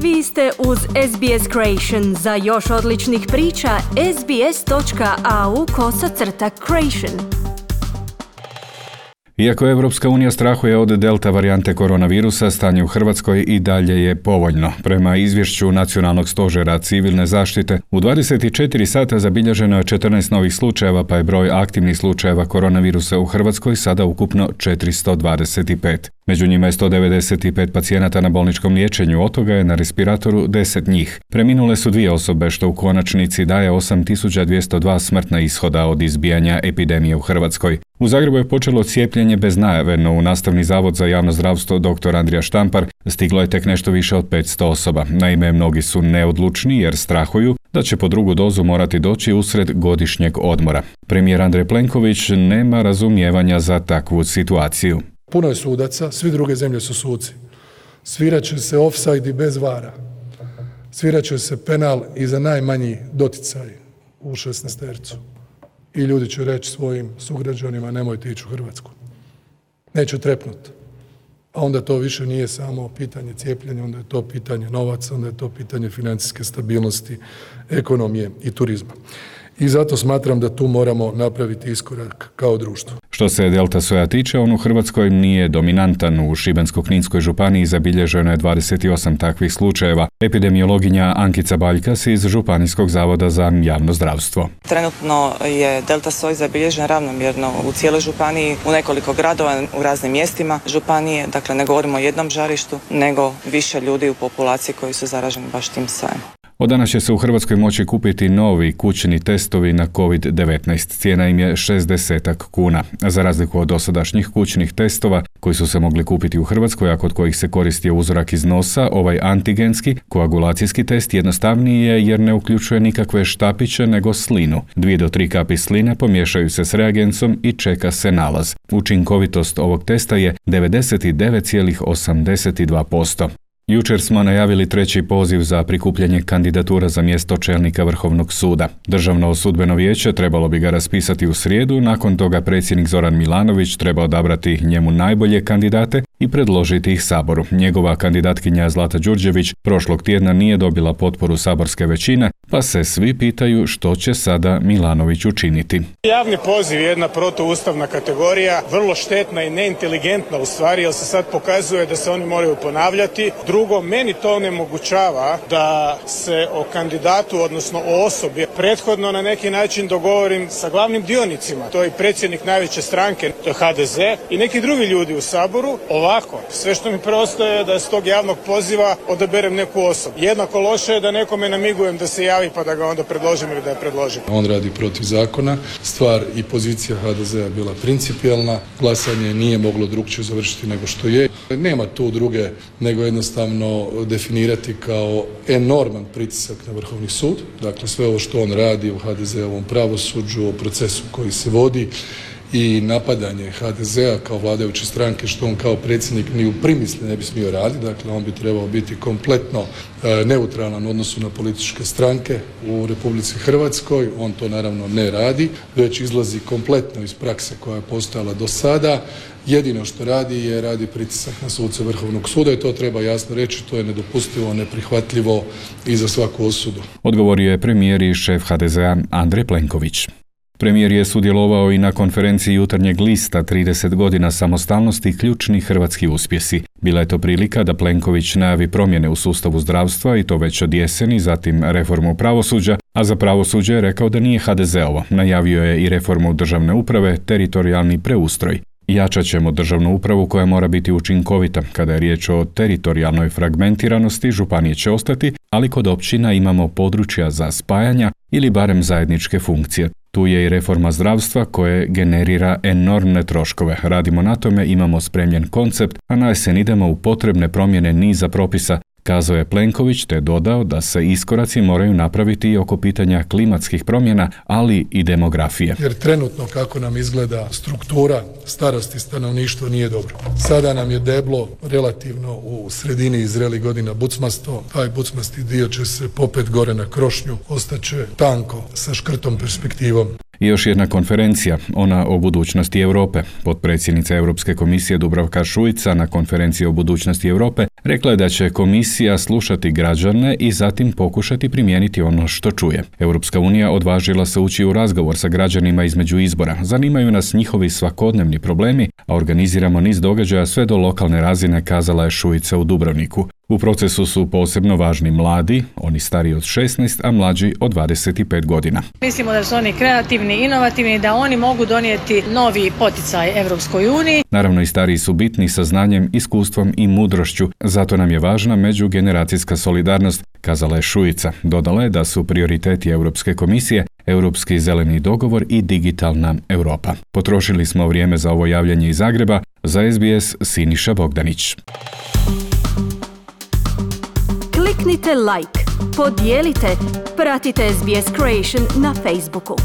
Vi ste uz SBS Creation. Za još odličnih priča, sbs.au/creation. Iako Evropska unija strahuje od delta varijante koronavirusa, stanje u Hrvatskoj i dalje je povoljno. Prema izvješću Nacionalnog stožera civilne zaštite, u 24 sata zabilježeno je 14 novih slučajeva, pa je broj aktivnih slučajeva koronavirusa u Hrvatskoj sada ukupno 425. Među njima je 195 pacijenata na bolničkom liječenju, od toga je na respiratoru 10 njih. Preminule su 2 osobe, što u konačnici daje 8202 smrtna ishoda od izbijanja epidemije u Hrvatskoj. U Zagrebu je počelo cijepljenje bez najave, no u Nastavni zavod za javno zdravstvo dr. Andrija Štampar stiglo je tek nešto više od 500 osoba. Naime, mnogi su neodlučni jer strahuju da će po drugu dozu morati doći usred godišnjeg odmora. Premijer Andrej Plenković nema razumijevanja za takvu situaciju. Puno je sudaca, svi druge zemlje su suci. Svirat će se ofsajd i bez vara. Svirat će se penal i za najmanji doticaj u 16-tercu. I ljudi će reći svojim sugrađanima nemojte ići u Hrvatsku. Neće trepnuti. A onda to više nije samo pitanje cijepljenja, onda je to pitanje novaca, onda je to pitanje financijske stabilnosti, ekonomije i turizma. I zato smatram da tu moramo napraviti iskorak kao društvo. Što se delta soja tiče, on u Hrvatskoj nije dominantan. U Šibensko-kninskoj županiji zabilježeno je 28 takvih slučajeva. Epidemiologinja Ankica Baljkas iz Županijskog zavoda za javno zdravstvo. Trenutno je delta soj zabilježen ravnomjerno u cijeloj županiji, u nekoliko gradova, u raznim mjestima županije. Dakle, ne govorimo o jednom žarištu, nego više ljudi u populaciji koji su zaraženi baš tim sojem. Od danas će se u Hrvatskoj moći kupiti novi kućni testovi na COVID-19. Cijena im je 60 kuna. Za razliku od dosadašnjih kućnih testova koji su se mogli kupiti u Hrvatskoj, a kod kojih se koristio uzorak iz nosa, ovaj antigenski koagulacijski test jednostavniji je jer ne uključuje nikakve štapiće nego slinu. 2 do 3 kapi sline pomiješaju se s reagencom i čeka se nalaz. Učinkovitost ovog testa je 99,82%. Jučer smo najavili 3. poziv za prikupljanje kandidatura za mjesto čelnika Vrhovnog suda. Državno sudbeno vijeće trebalo bi ga raspisati u srijedu, nakon toga predsjednik Zoran Milanović treba odabrati njemu najbolje kandidate i predložiti ih Saboru. Njegova kandidatkinja Zlata Đurđević prošlog tjedna nije dobila potporu saborske većine, pa se svi pitaju što će sada Milanović učiniti. Javni poziv je jedna protuustavna kategorija, vrlo štetna i neinteligentna u stvari, jer se sad pokazuje da se oni moraju ponavljati. Drugo, meni to onemogućava da se o kandidatu, odnosno o osobi, prethodno na neki način dogovorim sa glavnim dionicima. To je predsjednik najveće stranke, to je HDZ, i neki drugi ljudi u Saboru. Ovako, sve što mi preostaje je da s tog javnog poziva odaberem neku osobu. Jednako loše je da nekome namigujem da se javi pa da ga onda predložim ili da je predložim. On radi protiv zakona. Stvar i pozicija HDZ-a je bila principijelna. Glasanje nije moglo drugčije završiti nego što je. Nema tu druge nego jednostavno definirati kao enorman pritisak na Vrhovni sud. Dakle, sve ovo što on radi u HDZ-ovom pravosuđu, o procesu koji se vodi i napadanje HDZ-a kao vladajuće stranke, što on kao predsjednik ni u primisli ne bi smio raditi. Dakle, on bi trebao biti kompletno neutralan u odnosu na političke stranke u Republici Hrvatskoj. On to naravno ne radi, već izlazi kompletno iz prakse koja je postojala do sada. Jedino što radi pritisak na suce Vrhovnog suda i to treba jasno reći, to je nedopustivo, neprihvatljivo i za svaku osudu. Odgovorio je premijer i šef HDZ-a Andrej Plenković. Premijer je sudjelovao i na konferenciji Jutarnjeg lista 30 godina samostalnosti ključni hrvatski uspjesi. Bila je to prilika da Plenković najavi promjene u sustavu zdravstva i to već od jeseni, zatim reformu pravosuđa, a za pravosuđe je rekao da nije HDZ-ovo. Najavio je i reformu državne uprave, teritorijalni preustroj. Jačat ćemo državnu upravu koja mora biti učinkovita. Kada je riječ o teritorijalnoj fragmentiranosti, županije će ostati, ali kod općina imamo područja za spajanja ili barem zajedničke funkcije. Tu je i reforma zdravstva koje generira enormne troškove. Radimo na tome, imamo spremljen koncept, a na jesen idemo u potrebne promjene niza propisa, kazao je Plenković, te dodao da se iskoraci moraju napraviti i oko pitanja klimatskih promjena, ali i demografije. Jer trenutno kako nam izgleda struktura starosti stanovništva nije dobro. Sada nam je deblo relativno u sredini zrelih godina bucmasto, taj bucmasti dio će se popet gore na krošnju, ostaće tanko sa škrtom perspektivom. I još jedna konferencija, ona o budućnosti Europe. Potpredsjednica Europske komisije Dubravka Šuica na konferenciji o budućnosti Europe rekla je da će komisija slušati građane i zatim pokušati primijeniti ono što čuje. Europska unija odvažila se ući u razgovor sa građanima između izbora. Zanimaju nas njihovi svakodnevni problemi, a organiziramo niz događaja sve do lokalne razine, kazala je Šuica u Dubrovniku. U procesu su posebno važni mladi, oni stariji od 16, a mlađi od 25 godina. Mislimo da su oni kreativni, inovativni, da oni mogu donijeti novi poticaj Europskoj uniji. Naravno i stariji su bitni sa znanjem, iskustvom i mudrošću, zato nam je važna međugeneracijska solidarnost, kazala je Šuica. Dodala je da su prioriteti Europske komisije Europski zeleni dogovor i digitalna Europa. Potrošili smo vrijeme za ovo javljanje iz Zagreba, za SBS Siniša Bogdanić. Kliknite like, podijelite, pratite SBS Creation na Facebooku.